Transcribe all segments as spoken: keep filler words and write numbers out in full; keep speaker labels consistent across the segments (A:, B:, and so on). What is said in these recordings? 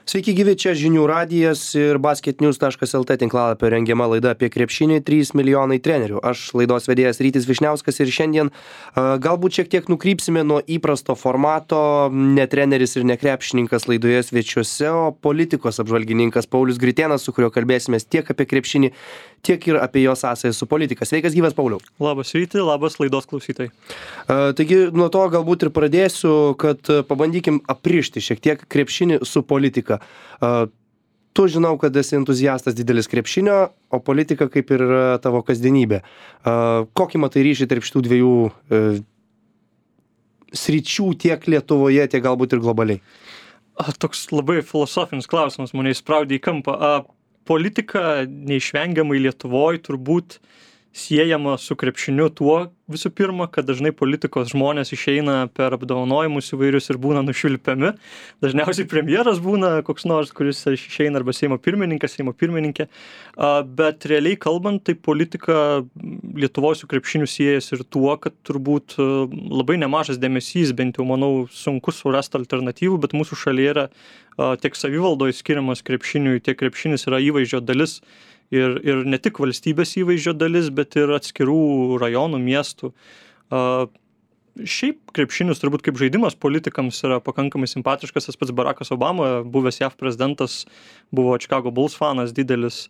A: Sveiki gyvi, čia žinių radijas ir basketnews taškas lt tinklalapio rengiama laida apie krepšinį trys milijonai trenerių. Aš laidos vedėjas Rytis Vyšniauskas ir šiandien a, galbūt šiek tiek nukrypsime nuo įprasto formato, ne treneris ir ne krepšininkas laidoje svečiuose, o politikos apžvalgininkas Paulius Gritėnas, su kuriuo kalbėsimės tiek apie krepšinį, tiek ir apie jo sąsają su politika. Sveikas gyvas, Pauliau.
B: Labas Ryti, labas laidos klausytojai.
A: A, taigi nuo to galbūt ir pradėsiu, kad pabandykim aprišti šiek tiek krepšinį su politika. Uh, tu žinau, kad esi entuziastas didelis krepšinio, o politika kaip ir yra tavo kasdienybė. Uh, kokį matai ryšį tarp šitų dviejų uh, sričių tiek Lietuvoje, tiek galbūt ir globaliai?
B: A, toks labai filosofinis klausimas mane įspraudė į kampą. A, politika neišvengiamai Lietuvoje turbūt siejama su krepšiniu tuo visų pirma, kad dažnai politikos žmonės išeina per apdovanojimus įvairius ir būna nušvilpiami. Dažniausiai premjeras būna koks nors, kuris išeina arba Seimo pirmininkas, Seimo pirmininkė. Bet realiai kalbant, tai politika Lietuvos su krepšiniu siejasi ir tuo, kad turbūt labai nemažas dėmesys, bent jau manau, sunku surasti alternatyvų, bet mūsų šalyje yra tiek savivaldoje skiriamas krepšiniui, tiek krepšinis yra įvaizdžio dalis. Ir, ir ne tik valstybės įvaizdžio dalis, bet ir atskirų rajonų, miestų. Uh, šiaip krepšinis turbūt kaip žaidimas politikams yra pakankamai simpatiškas. Tas pats Barackas Obama, buvęs J A V prezidentas, buvo Chicago Bulls fanas didelis.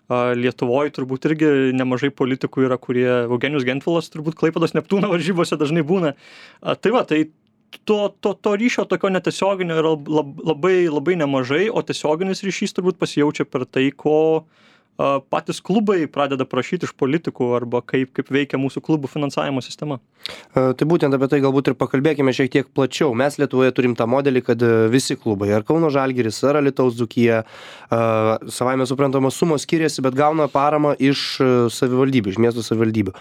B: Uh, Lietuvoje turbūt irgi nemažai politikų yra, kurie Eugenijus Gentvilas turbūt Klaipėdos Neptūno varžybose dažnai būna. Uh, tai va, tai to, to, to ryšio tokio netiesioginio yra labai, labai nemažai, o tiesioginis ryšys turbūt pasijaučia per tai, ko patys klubai pradeda prašyti iš politikų arba kaip, kaip veikia mūsų klubų finansavimo sistema.
A: Tai būtent apie tai galbūt ir pakalbėkime šiek tiek plačiau. Mes Lietuvoje turim tą modelį, kad visi klubai, ar Kauno Žalgiris, ar Alytaus Dzūkija, savaime suprantama sumos skiriasi, bet gauna paramą iš savivaldybių, iš miestų savivaldybių.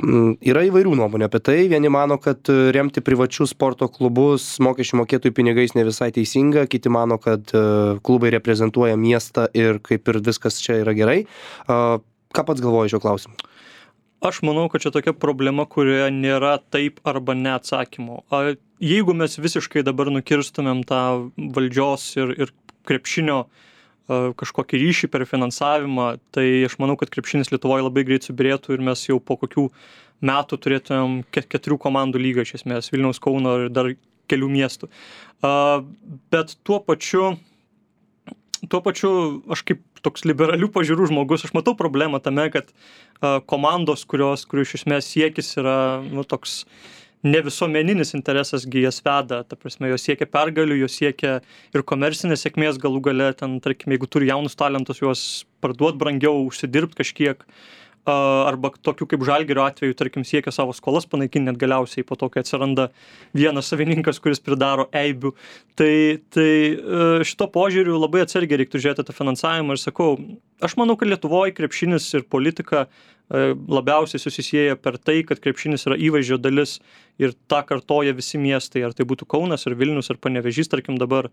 A: Yra įvairių nuomonių apie tai. Vieni mano, kad remti privačius sporto klubus mokesčių mokėtojų pinigais ne visai teisinga, kiti mano, kad klubai reprezentuoja miestą ir kaip ir viskas čia yra gerai. Ką pats galvoji šio klausimu?
B: Aš manau, kad čia tokia problema, kurioje nėra taip arba ne atsakymo. Jeigu mes visiškai dabar nukirstumėm tą valdžios ir, ir krepšinio kažkokį ryšį per finansavimą, tai aš manau, kad krepšinis Lietuvoje labai greit subirėtų ir mes jau po kokių metų turėtumėm keturių komandų lygą iš esmės, Vilniaus, Kauno ir dar kelių miestų. Bet tuo pačiu, tuo pačiu aš kaip toks liberalių pažiūrų žmogus, aš matau problemą tame, kad komandos, kurios, kurių iš esmės siekis yra nu, toks ne visuomeninis interesas gi jas veda, ta prasme, jos siekia pergalių, jos siekia ir komercinės sėkmės galų gale, ten, tarkim, jeigu turi jaunus talentus, juos parduot brangiau, užsidirbt kažkiek, arba tokių kaip Žalgirio atveju, tarkim, siekia savo skolas panaikinti net galiausiai po to, kai atsiranda vienas savininkas, kuris pridaro eibių. Tai, tai šito požiūriu labai atsargiai reiktų žiūrėti tą finansavimą ir sakau, aš manau, kad Lietuvoje krepšinis ir politika labiausiai susisieja per tai, kad krepšinis yra įvaizdžio dalis ir tą kartoja visi miestai, ar tai būtų Kaunas, ar Vilnius, ar Panevėžys, tarkim dabar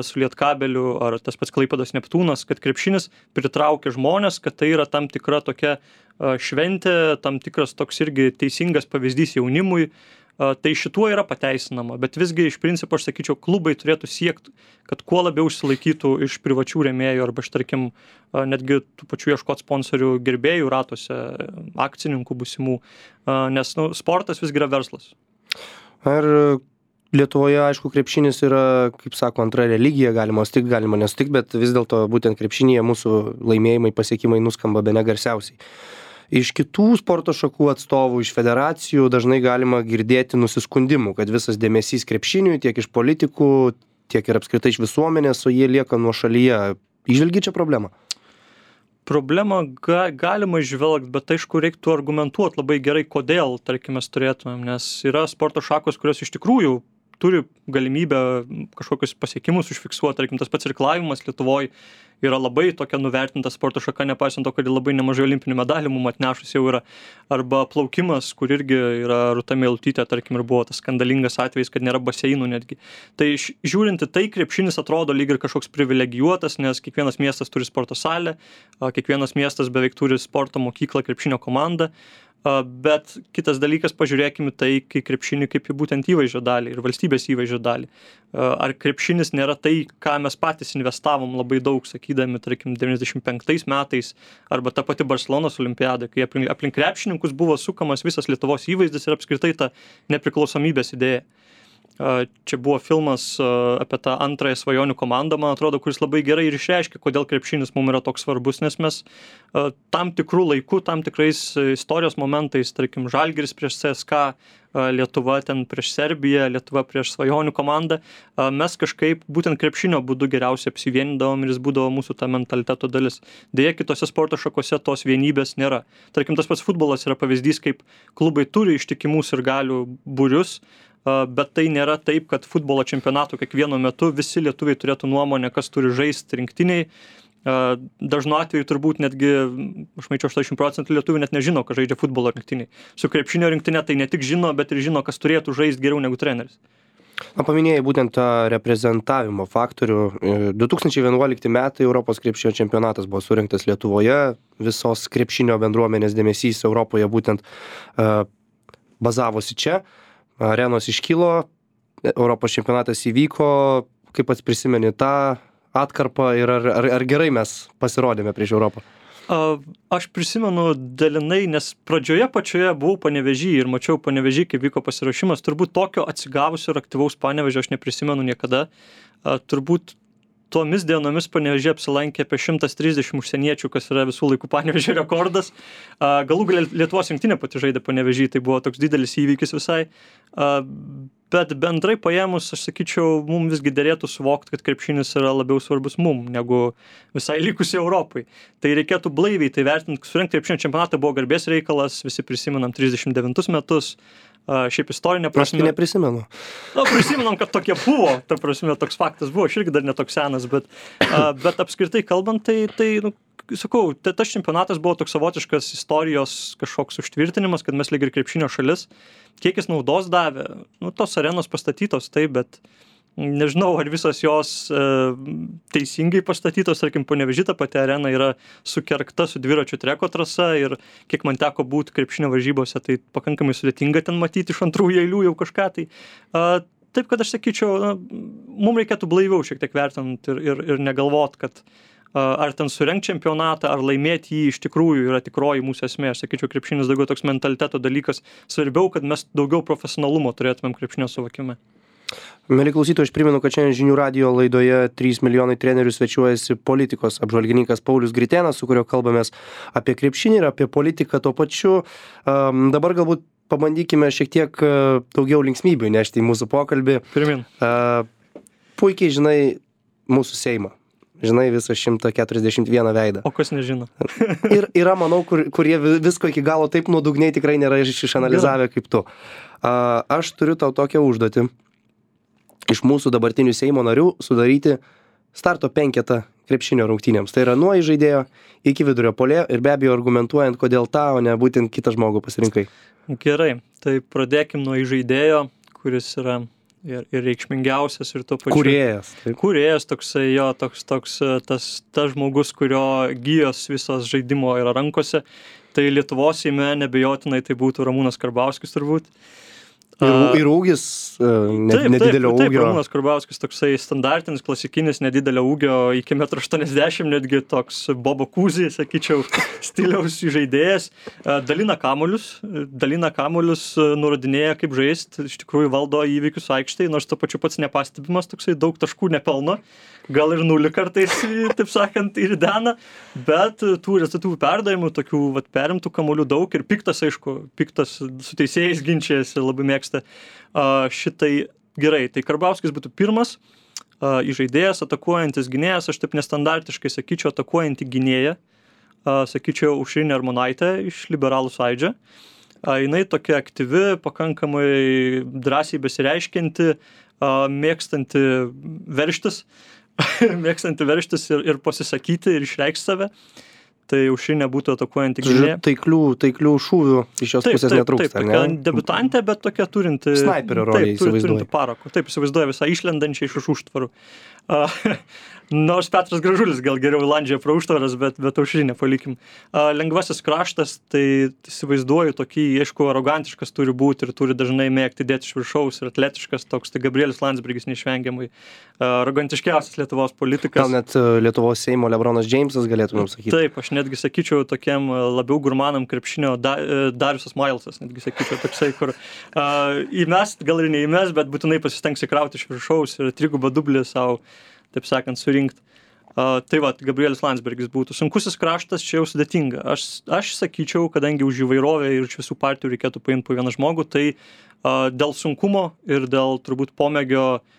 B: su Lietkabeliu, ar tas pats Klaipėdos Neptūnas, kad krepšinis pritraukia žmonės, kad tai yra tam tikra tokia šventė, tam tikras toks irgi teisingas pavyzdys jaunimui. Tai šituo yra pateisinama, bet visgi iš principo aš sakyčiau, klubai turėtų siekti, kad kuo labiau išsilaikytų iš privačių rėmėjų arba, tarkim, netgi tų pačių ieškot sponsorių gerbėjų ratuose, akcininkų būsimų, nes nu, sportas visgi yra verslas.
A: Ar Lietuvoje, aišku, krepšinis yra, kaip sako, antra religija, galima sutikti, galima nesutikti, bet vis dėlto būtent krepšinėje mūsų laimėjimai, pasiekimai nuskamba bene garsiausiai. Iš kitų sporto šakų atstovų, iš federacijų dažnai galima girdėti nusiskundimų, kad visas dėmesys krepšiniui tiek iš politikų, tiek ir apskritai iš visuomenės, o jie lieka nuošalyje. Įžvelgi čia problemą?
B: Problemą ga, galima žvelgti, bet aišku reiktų argumentuoti labai gerai, kodėl, tarkim, mes turėtumėm, nes yra sporto šakos, kurios iš tikrųjų turi galimybę kažkokius pasiekimus užfiksuoti, tarkim, tas pats irklavimas Lietuvoje yra labai tokia nuvertinta sporto šaka, nepaisant to, kad labai nemažai olimpinių medalių mum atnešus jau yra, arba plaukimas, kur irgi yra Rūta Meilutytė, tarkim, ir buvo tas skandalingas atvejis, kad nėra baseinų netgi. Tai žiūrinti tai, krepšinis atrodo lyg ir kažkoks privilegijuotas, nes kiekvienas miestas turi sporto salę, kiekvienas miestas beveik turi sporto mokyklą, krepšinio komandą. Bet kitas dalykas, pažiūrėkime tai, kai krepšinį kaip į būtent įvaizdžio dalį ir valstybės įvaizdžio dalį. Ar krepšinis nėra tai, ką mes patys investavom labai daug, sakydami, tarkim, devyniasdešimt penktais metais, arba ta pati Barcelonos olimpiada, kai aplink, aplink krepšininkus buvo sukamas visas Lietuvos įvaizdis ir apskritai ta nepriklausomybės idėja. Čia buvo filmas apie tą antrąją svajonių komandą, man atrodo, kuris labai gerai ir išreiškia, kodėl krepšinis mums yra toks svarbus, nes mes tam tikrų laikų, tam tikrais istorijos momentais, tarkim, Žalgiris prieš C S K, Lietuva ten prieš Serbiją, Lietuva prieš svajonių komandą, mes kažkaip būtent krepšinio būdu geriausiai apsivienindavom ir jis būdavo mūsų ta mentaliteto dalis. Deja, kitose sporto šakose tos vienybės nėra. Tarkim, tas pats futbolas yra pavyzdys, kaip klubai turi ištikimus ir galių būrius, bet tai nėra taip, kad futbolo čempionato kiekvieno metu visi lietuviai turėtų nuomonę, kas turi žaisti rinktiniai. Dažnu atveju turbūt netgi, aš maičiau, aštuoniasdešimt procentų lietuvių net nežino, kad žaidžia futbolo rinktiniai. Su krepšinio rinktinė tai ne tik žino, bet ir žino, kas turėtų žaisti geriau negu treneris.
A: Na, paminėjai būtent tą reprezentavimo faktorių. du tūkstančiai vienuolikti metai Europos krepšinio čempionatas buvo surinktas Lietuvoje. Visos krepšinio bendruomenės dėmesys Europoje būtent uh, bazavosi čia. Arenos iškilo, Europos čempionatas įvyko, kaip pats prisimeni tą atkarpą ir ar, ar, ar gerai mes pasirodėme prieš Europą?
B: Aš prisimenu dalinai, nes pradžioje pačioje buvau Panevėžy ir mačiau Panevėžy, kaip vyko pasiruošimas. Turbūt tokio atsigavusio ir aktyvaus Panevėžio aš neprisimenu niekada. Turbūt tomis dienomis Panevėžyje apsilankė apie šimtas trisdešimt užsieniečių, kas yra visų laikų Panevėžio rekordas. Galų gale Lietuvos rinktinė pati žaidė Panevėžy, tai buvo toks didelis įvykis visai. Bet bendrai paėmus, aš sakyčiau, mums visgi derėtų suvokti, kad krepšinis yra labiau svarbus mum, negu visai likusiai Europai. Tai reikėtų blaiviai tai vertinti, surinkti krepšinio čempionatą buvo garbės reikalas, visi prisimenam trisdešimt devintus metus. Uh, šiaip istorinė prasme...
A: Aš tai neprisimenu.
B: Na, prisimenam, kad tokie buvo, ta prasme, toks faktas buvo, aš irgi dar netoks senas, bet, uh, bet apskritai kalbant, tai, tai nu, sakau, tai tas čempionatas buvo toks savotiškas istorijos kažkoks užtvirtinimas, kad mes lyg ir krepšinio šalis, kiek jis naudos davė, nu, tos arenos pastatytos, taip, bet nežinau, ar visos jos e, teisingai pastatytos, tarkim, Panevėžy ta pati arena yra sukerkta su dviračių treko trasa ir kiek man teko būti krepšinio varžybose, tai pakankamai sudėtinga ten matyti iš antrųjų eilių jau kažką. Tai, a, taip, kad aš sakyčiau, na, mums reikėtų blaiviau šiek tiek vertinti ir, ir, ir negalvot, kad a, ar ten surenkt čempionatą, ar laimėti jį iš tikrųjų yra tikroji mūsų esmė. Aš sakyčiau, krepšinis daugiau toks mentaliteto dalykas, svarbiau, kad mes daugiau profesionalumo turėtumėm krepšinio suvokime.
A: Mieli klausytojai, aš primenu, kad šiandien Žinių radijo laidoje trys milijonai trenerių svečiuojasi politikos apžvalgininkas Paulius Gritėnas, su kuriuo kalbamės apie krepšinį ir apie politiką tuo pačiu. Um, dabar galbūt pabandykime šiek tiek uh, daugiau linksmybių nešti į mūsų pokalbį.
B: Pirmin.
A: Uh, puikiai žinai mūsų Seimą. Žinai visą šimtą keturiasdešimt vieną veidą.
B: O kas nežino?
A: Ir yra, manau, kur, kurie visko iki galo taip nuodugniai tikrai nėra išanalizavę kaip tu. Uh, aš turiu tau tokią užduotį. Iš mūsų dabartinių Seimo narių sudaryti starto penketą krepšinio rungtynėms. Tai yra nuo įžaidėjo iki vidurio puolėjo ir be abejo argumentuojant, kodėl tą, o ne būtent kitą žmogų pasirinkai.
B: Gerai, tai pradėkim nuo įžaidėjo, kuris yra ir, ir reikšmingiausias ir tuo pačiu.
A: Kūrėjas. Taip.
B: Kūrėjas toksai, jo, toks, toks, tas, tas žmogus, kurio gijos visos žaidimo yra rankose. Tai Lietuvos Seime nebejotinai tai būtų Ramūnas Karbauskis turbūt.
A: Ir, ir ūgis ne,
B: taip,
A: nedidelio
B: taip, taip,
A: ūgio.
B: Ramūnas Karbauskis toksai standartinis, klasikinis, nedidelio ūgio iki metro aštuoniasdešimt, netgi toks Bobo Kūzį, sakyčiau, stiliaus žaidėjas. Dalina kamuolius, dalina kamuolius, nurodinėja kaip žaisti, iš tikrųjų valdo įvykius aikštėje, nors to pačiu pats nepastebimas, toksai daug taškų nepelno, gal ir nulį kartais, taip sakant, ir dena, bet tų rezultatyvų perdavimų, tokių vat, perimtų kamuolių daug ir piktas, aišku, piktas su teisėjais ginčiasi, labai mėgsta uh, šitai gerai. Tai Karbauskis būtų pirmas uh, įžaidėjas, atakuojantis gynėjas, aš taip nestandartiškai sakyčiau, atakuojantį gynėją, uh, sakyčiau, Aušrinė Armonaitė iš Liberalų sąjūdžio. Uh, jinai tokia aktyvi, pakankamai drąsiai besireiškianti, uh, mėgstanti verštis, mėgstanti verštis ir, ir pasisakyti ir išreikšti save. Tai Aušrinė būtų atakuojanti gynėja.
A: Taiklių, taiklių šūvių iš jos
B: taip,
A: pusės
B: taip,
A: netrūksta,
B: taip,
A: ne?
B: Taip, debutantė, bet tokia turinti...
A: Sniperio rolę
B: įsivaizduoja.
A: įsivaizduoja.
B: Turinti parako. Taip, įsivaizduoja visą išlendančią iš už užtvarų. A, nors Petras Gražulis gal geriau landžia pro užtvaras, bet, bet aušrinę palikim. A, lengvasis kraštas, tai įsivaizduoju tokį, aišku, arogantiškas turi būti ir turi dažnai mėgti dėti iš viršaus ir atletiškas toks, tai Gabrielius Landsbergis neišvengiamai. A, arogantiškiausias Lietuvos politikas.
A: Gal net Lietuvos Seimo Lebronas Džeimsas galėtumėm sakyti.
B: Taip, aš netgi sakyčiau tokiam labiau gurmanam krepšinio da, Dariusas Mailsas, netgi sakyčiau toksai, kur a, įmest, gal ir neįmest, bet būtinai pasistengs įkrauti iš viršaus ir trigubą dublį savo, taip sakant, surinkti. Uh, tai va, Gabrielius Landsbergis būtų. Sunkusis kraštas čia jau sudėtinga. Aš, aš sakyčiau, kadangi už įvairovę ir iš visų partijų reikėtų paimti po vieną žmogų, tai uh, dėl sunkumo ir dėl turbūt pomėgio uh,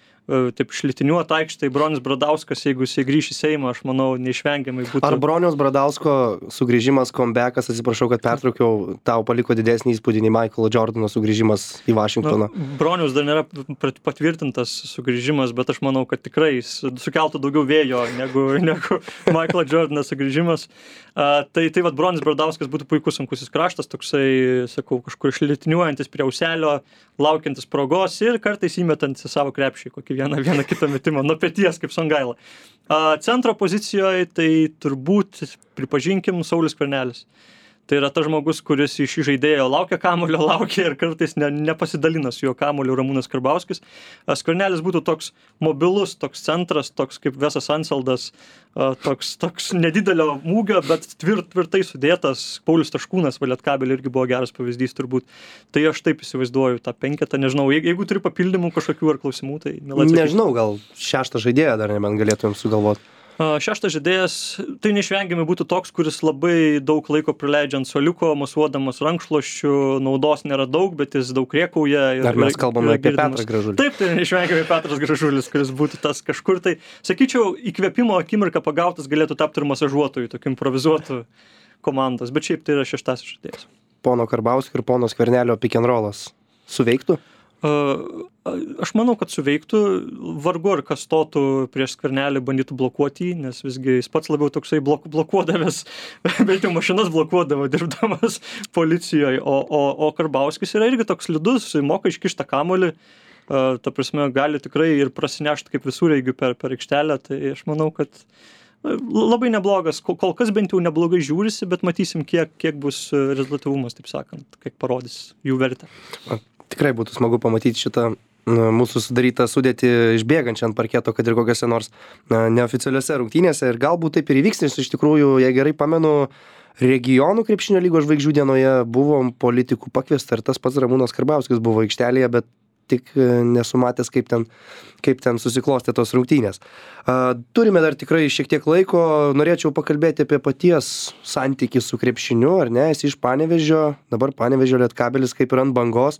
B: taip šlitiniuot aikštėj Bronius Bradauskas, jeigu jisai grįš į Seimą, aš manau, neišvengiamai būtų.
A: Ar Broniaus Bradausko sugrįžimas, comebackas, atsiprašau, kad pertraukiau, tau paliko didesnį įspūdį nei Michaelo Jordano sugrįžimas į Vašingtoną?
B: Na, Bronius dar nėra patvirtintas sugrįžimas, bet aš manau, kad tikrai sukeltų daugiau vėjo negu, negu Michaelo Jordano sugrįžimas. Uh, tai tai vat Bronius Bradauskas būtų puikus sunkusis kraštas, toksai, sakau, kažkur išlitiniuojantis prie auselio, laukiantis progos ir kartais įmetantis į savo krepšį kokį vieną, vieną kitą metimą nuo peties kaip Songaila. Uh, centro pozicijoje tai turbūt, pripažinkim, Saulius Skvernelis. Tai yra tas žmogus, kuris iš žaidėjo laukia kamuolio, laukia ir kartais ne, nepasidalina su jo kamuoliu Ramūnas Karbauskis. Skvernelis būtų toks mobilus, toks centras, toks kaip Vesas Ansaldas, toks, toks nedidelio mūgio, bet tvirt, tvirtai sudėtas. Paulius Taškūnas, va, Lietkabelio irgi buvo geras pavyzdys turbūt. Tai aš taip įsivaizduoju tą penketą, nežinau, jeigu, jeigu turi papildymų kažkokių ar klausimų, tai mielai atsakysiu.
A: Nežinau, gal šeštą žaidėją dar nebent galėtumėm sugalvoti.
B: Šeštas žaidėjas, tai neišvengiamai būtų toks, kuris labai daug laiko praleidžia ant suoliuko, mosuodamas rankšluosčių, naudos nėra daug, bet jis daug rėkauja.
A: Ar mes kalbame apie Petrą Gražulį?
B: Taip, tai neišvengiamai Petras Gražulis, kuris būtų tas kažkur. Tai, sakyčiau, įkvėpimo akimirką pagautas galėtų tapti ir masažuotojų, tokiu improvizuotų komandos, bet šiaip tai yra šeštasis žaidėjas.
A: Pono Karbauskio ir pono Skvernelio pick and rollas suveiktų?
B: Uh, aš manau, kad suveiktų, vargu ar kas stotų prieš Skvernelį, bandytų blokuoti jį, nes visgi jis pats labiau toksai blok, blokuodavęs, bent jau mašinas blokuodavo dirbdamas policijoje, o, o, o Karbauskis yra irgi toks slidus, moka iškištą kamuolį, uh, ta prasme gali tikrai ir prasinešti kaip visureigių per, per aikštelę, tai aš manau, kad labai neblogas, kol kas bent jau neblogai žiūrisi, bet matysim, kiek, kiek bus rezultatyvumas, taip sakant, kiek parodys jų vertę.
A: Tikrai būtų smagu pamatyti šitą mūsų sudarytą sudėtį išbėgančią ant parketo, kad ir kokiose nors neoficialiuose rungtynėse. Ir galbūt taip ir įvyks, nes iš tikrųjų, jei gerai pamenu, regionų krepšinio lygos žvaigždžių dienoje buvo politikų pakviesta ir tas pats Ramūnas Karbauskis buvo aikštelėje, bet tik nesumatęs, kaip ten, kaip ten susiklostė tos rungtynės. Turime dar tikrai šiek tiek laiko, norėčiau pakalbėti apie paties santykį su krepšiniu, ar ne, esi iš Panevėžio, dabar Panevėžio Lietkabelis kaip ir ant bangos.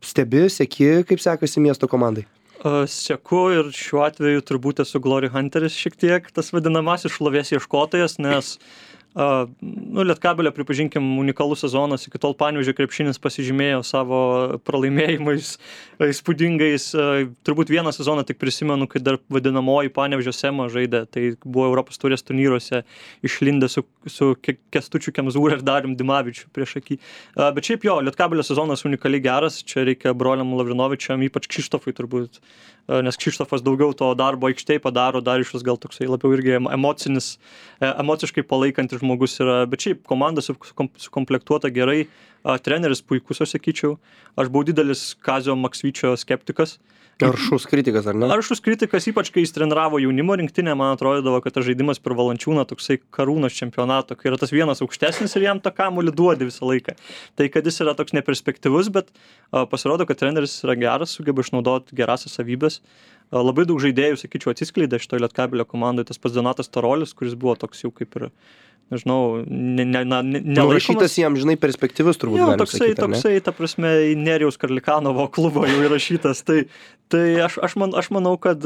A: Stebi, seki, kaip sekasi miesto komandai?
B: Seku ir šiuo atveju turbūt esu Glory Hunteris šiek tiek, tas vadinamasis šlovės ieškotojas, nes Uh, nu, Lietkabelio, pripažinkim, unikalus sezonas, iki tol Panevėžio krepšinis pasižymėjo savo pralaimėjimais įspūdingais. Uh, turbūt vieną sezoną tik prisimenu, kai dar vadinamoji Panevėžio Sema žaidė, tai buvo Europos taurės turnyruose išlindę su, su Kestučiu Kemzūra ir Darium Dimavičiu prieš akį. Uh, bet šiaip jo, Lietkabelio sezonas unikaliai geras, čia reikia broliam Lavrinovičiam, ypač Kšištofui turbūt, uh, nes Kšištofas daugiau to darbo aikštėj padaro, Dariušas gal toksai labiau irgi emocinis, emociškai palaikantis žmogus yra, bet šiaip komanda sukomplektuota gerai, treneris puikus, aš sakyčiau. Aš buvau didelis Kazio Maksvyčio skeptikas.
A: Aršus kritikas, ar ne?
B: Aršus kritikas, ypač kai jis treniravo jaunimo rinktinę, man atrodydavo, kad tas žaidimas per Valančiūną toksai Karūnos čempionato, kai yra tas vienas aukštesnis ir jam tą kamuolį duodi visą laiką. Tai kad jis yra toks neperspektyvus, bet a, pasirodo, kad treneris yra geras, sugeba išnaudoti gerasias savybės. A, labai daug žaidėjų, sakyčiau, atsiskleidė šitoje Lietkabelio komandoje, tas pats Donatas Tarolis, kuris buvo toks jau kaip ir nežinau, ne, ne, ne, nelaikomas.
A: Įrašytas jam, žinai, perspektyvus turbūt.
B: Jo, toksai, sakyti, toksai, ta prasme, į Nerijaus Karlikanovo klubo jau įrašytas. Tai, tai aš, aš, man, aš manau, kad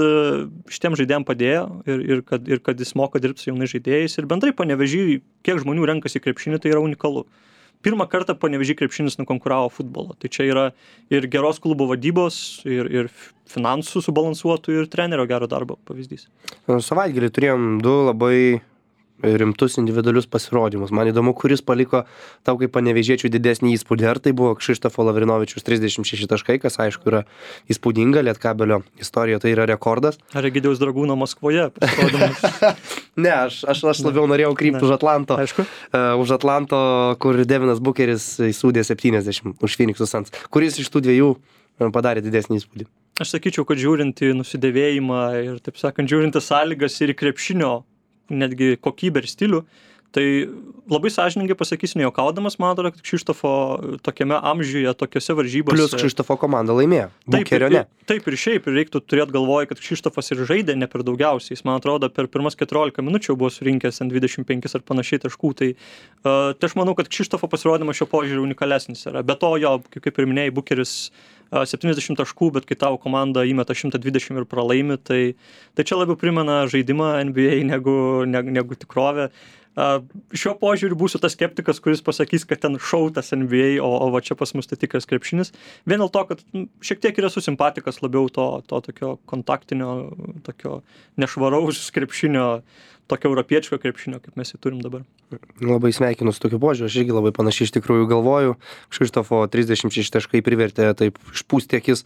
B: šitiem žaidėjim padėjo ir, ir, kad, ir kad jis moka dirbti su jaunais žaidėjais. Ir bendrai Panevėžy, kiek žmonių renkasi krepšinį, tai yra unikalu. Pirmą kartą Panevėžy krepšinis nukonkuravo futbolo. Tai čia yra ir geros klubo vadybos, ir, ir finansų subalansuotų, ir trenerio gero darbo pavyzdys.
A: Savaitgalį turėjom du labai rimtus individualius pasirodymus. Man įdomu, kuris paliko tau kaip panevėžiečių didesnį įspūdį. Ar tai buvo Kšištofo Lavrinovičius trisdešimt šeši taškai, kas aišku yra įspūdinga, Lietkabelio istorija tai yra rekordas.
B: Ar Egidijaus Dragūno Maskvoje pasirodymas?
A: Ne, aš, aš, aš labiau norėjau krypti už Atlanto.
B: Aišku.
A: Uh, už Atlanto, kur Devinas Bukeris įsūdė septyniasdešimt už Phoenix Suns. Kuris iš tų dviejų padarė didesnį įspūdį?
B: Aš sakyčiau, kad žiūrint į nusidėvėjimą ir, taip sakant, žiūrint į sąlygas ir į krepšinio netgi kokybę ir stilių, tai labai sąžiningai pasakysiu, nejuokaudamas, man atrodo, kad Kšištofo tokiame amžiuje, tokiose varžybose...
A: Plius Kšištofo komanda laimėjo. Bukerio ne.
B: Taip ir šiaip, ir reiktų turėti galvoje, kad Kšištofas ir žaidė ne per daugiausiai. Jis, man atrodo, per pirmas keturiolika minučių buvo surinkęs ant dvidešimt penkis ar panašiai taškų. Tai, uh, tai aš manau, kad Kšištofo pasirodymas šio požiūriu unikalesnis yra. Be to jo, kaip, kaip ir minėjai, Bukeris uh, septyniasdešimt taškų, bet kai tavo komanda įmeta šimtą dvidešimt ir pralaimi, tai, tai čia labiau primena žaidimą N B A negu, negu, negu tikrovę. Uh, šiuo požiūriu būsiu tas skeptikas, kuris pasakys, kad ten šautas N B A, o, o va čia pas mus tai tikras krepšinis. Vien dėl to, kad m, šiek tiek yra susimpatikas labiau to, to tokio kontaktinio, tokio nešvaraus krepšinio, tokio europiečio krepšinio, kaip mes jį turim dabar.
A: Labai sveikinu su tokiu požiūriu, aš irgi labai panašiai iš tikrųjų galvoju. Kšištofo trisdešimt šeši taškai privertė taip išpūsti akis.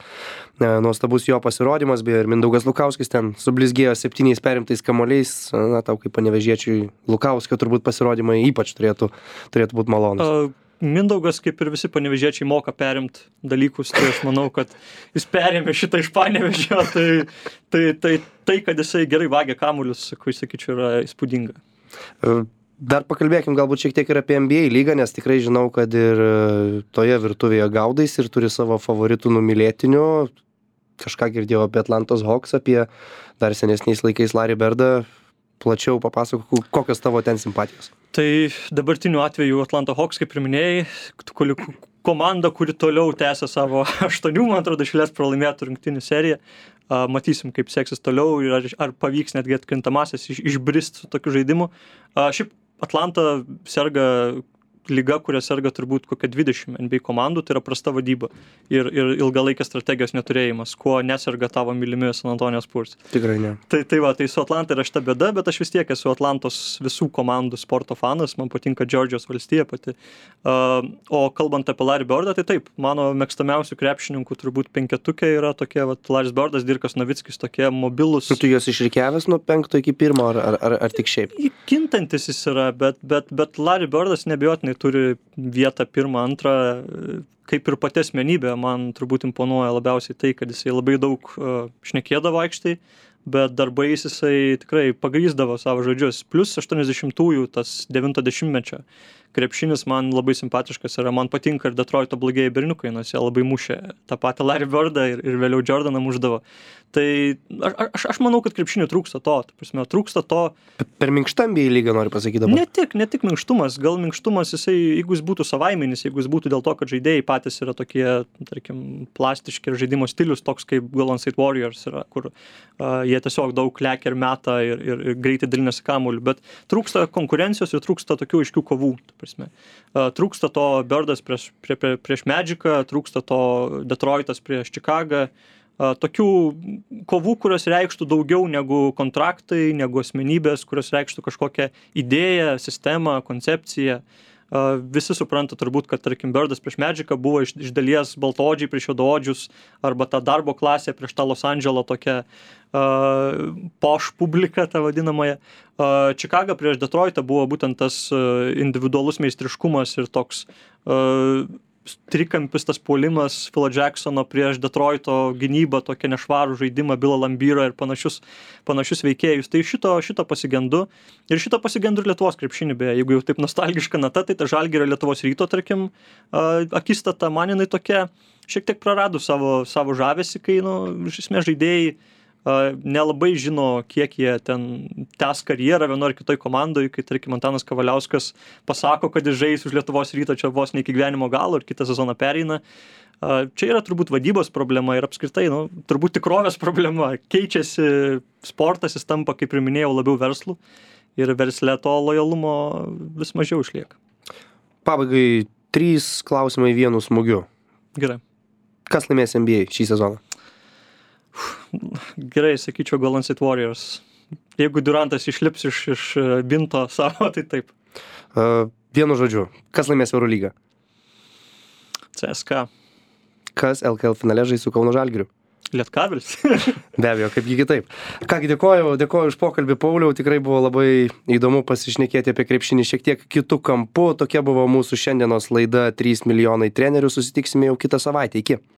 A: E, nuostabus jo pasirodymas, beje, ir Mindaugas Lukauskis ten sublizgėjo septyniais perimtais kamuoliais. Na, tau kaip panevėžiečiui Lukauskio turbūt pasirodymai ypač turėtų, turėtų būti malonus.
B: Uh, Mindaugas, kaip ir visi panevėžiečiai, moka perimti dalykus, tai aš manau, kad jis perėmė šitą iš Panevėžio, tai, tai, tai, tai, kad jisai gerai vagia kamuolius, kai sakyčiau, yra įspūdinga.
A: Dar pakalbėkim galbūt šiek tiek ir apie N B A lygą, nes tikrai žinau, kad ir toje virtuvėje gaudais ir turi savo favoritų numylėtinių. Kažką girdėjau apie Atlantos Hawks, apie dar senesniais laikais Larry Birdą. Plačiau papasakok, kokios tavo ten simpatijos.
B: Tai dabartiniu atveju Atlanta Hawks, kaip ir minėjai, komanda, kuri toliau tęsia savo aštuonių, man atrodo, išlės pralaimėtų rungtynių seriją. Matysim, kaip seksis toliau ir ar, ar pavyks netgi atkrintamasis iš, išbrist su tokiu žaidimu. Šiaip Atlanta serga lyga, kuria serga turbūt kokia dvidešimt N B A komandų, tai yra prasta vadyba ir, ir ilgalaikės strategijos neturėjimas, kuo neserga tavo mylimi San Antonijos Spurs.
A: Tikrai ne.
B: Tai, tai va, tai su Atlanta yra šita bėda, bet aš vis tiek esu Atlantos visų komandų sporto fanas, man patinka Džordžijos valstija pati. Uh, o kalbant apie Larry Birdą, tai taip, mano mėgstamiausių krepšininkų turbūt penketukė yra tokie, va, Larry Birdas, Dirkas Novickis, tokie mobilus.
A: Tu juos išrikiavęs nuo penkto iki pirmo, ar, ar, ar, ar tik šiaip?
B: Kintantis jis yra, bet, bet, bet Larry Birdas neabejotinai turi vietą pirmą, antrą, kaip ir pati asmenybė, man turbūt imponuoja labiausiai tai, kad jisai labai daug uh, šnekėdavo aikštai, bet darbais jisai tikrai pagrįsdavo savo žodžius. Plus aštuoniasdešimtųjų tas devinto dešimtmečio krepšinis man labai simpatiškas yra, man patinka ir Detroito blogieji berniukai, nors jie labai mušė tą patį Larry Birdą ir, ir vėliau Jordaną mušdavo. Tai aš, aš, aš manau, kad krepšinių trūksta to, ta prasme, trūksta to.
A: Per minkštą N B A lygą nori pasakyti dabar?
B: Ne tik, ne tik minkštumas, gal minkštumas jisai, jeigu jis būtų savaiminis, jeigu jis būtų dėl to, kad žaidėjai patys yra tokie, tarkim, plastiški ir žaidimo stilius toks kaip Golden State Warriors yra, kur uh, jie tiesiog daug lekia ir meta ir, ir, ir greitai dalinasi kamuoliu, bet trūksta konkurencijos ir trūksta tokių aiškių kovų. Prasme. Trūksta to Birdas prieš, prie, prie, prieš Magicą, trūksta to Detroitas prieš Čikagą, tokių kovų, kurios reikštų daugiau negu kontraktai, negu asmenybės, kurios reikštų kažkokią idėją, sistemą, koncepciją. Visi supranta turbūt, kad, tarkim, Birdas prieš Magicą buvo iš, iš dalies baltaodžiai prieš juodaodžius, arba ta darbo klasė prieš tą Los Andželo tokią uh, poš publiką, tą vadinamąją. Uh, Čikaga prieš Detroitą buvo būtent tas uh, individualus meistriškumas ir toks uh, trikampis tas puolimas Philo Jacksono prieš Detroito gynybą, tokią nešvarų žaidimą, Billą Lambyrą ir panašius, panašius veikėjus. Tai šito, šito pasigendu. Ir šito pasigendu ir Lietuvos krepšinį, beje. Jeigu jau taip nostalgiška nata, tai ta Žalgirio Lietuvos Ryto, tarkim, akistata man jinai tokia šiek tiek prarado savo, savo žavesį, kai, nu, iš esmės žaidėjai nelabai žino, kiek jie ten tęs karjerą vienoje ar kitoj komandoje, kai, tarkim, Antanas Kavaliauskas pasako, kad jis žais už Lietuvos Rytą čia vos ne iki gyvenimo galo ir kitą sezoną pereina. Čia yra turbūt vadybos problema ir apskritai, nu, turbūt tikrovės problema. Keičiasi sportas, jis tampa, kaip ir minėjau, labiau verslų ir versle to lojalumo vis mažiau išlieka.
A: Pabaigai trys klausimai vienu smūgiu.
B: Gerai.
A: Kas laimės N B A šį sezoną?
B: Gerai, sakyčiau Golden State Warriors. Jeigu Durantas išlips iš, iš binto savo, tai taip.
A: Uh, vienu žodžiu, kas laimės Eurolygą?
B: C S K A.
A: Kas L K L finale žais su Kauno Žalgiriu?
B: Lietkabelis.
A: Be abejo, kaipgi kitaip. Kągi, dėkoju, dėkoju už pokalbį, Pauliau, tikrai buvo labai įdomu pasišnekėti apie krepšinį šiek tiek kitų kampų. Tokia buvo mūsų šiandienos laida trys milijonai trenerių, susitiksime jau kitą savaitę. Iki.